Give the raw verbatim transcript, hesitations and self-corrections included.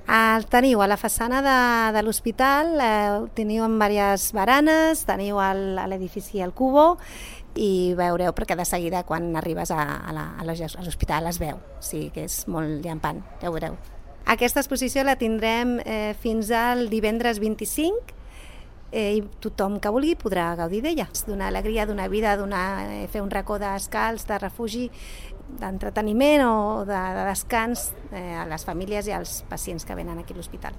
El teniu a la façana de, de l'hospital, eh, teniu en diverses baranes, teniu el- a l'edifici el Cubo i veureu perquè de seguida quan arribes a, a la- a la- a l'hospital es veu, o sigui que és molt llampant, ja ho veureu. Aquesta exposició la tindrem eh, fins al divendres vint-i-cinc eh, i tothom que vulgui podrà gaudir d'ella. Donar alegria, donar vida, donar, eh, fer un racó d'escalç, de refugi, d'entreteniment o de, de descans eh, a les famílies i als pacients que venen aquí a l'hospital.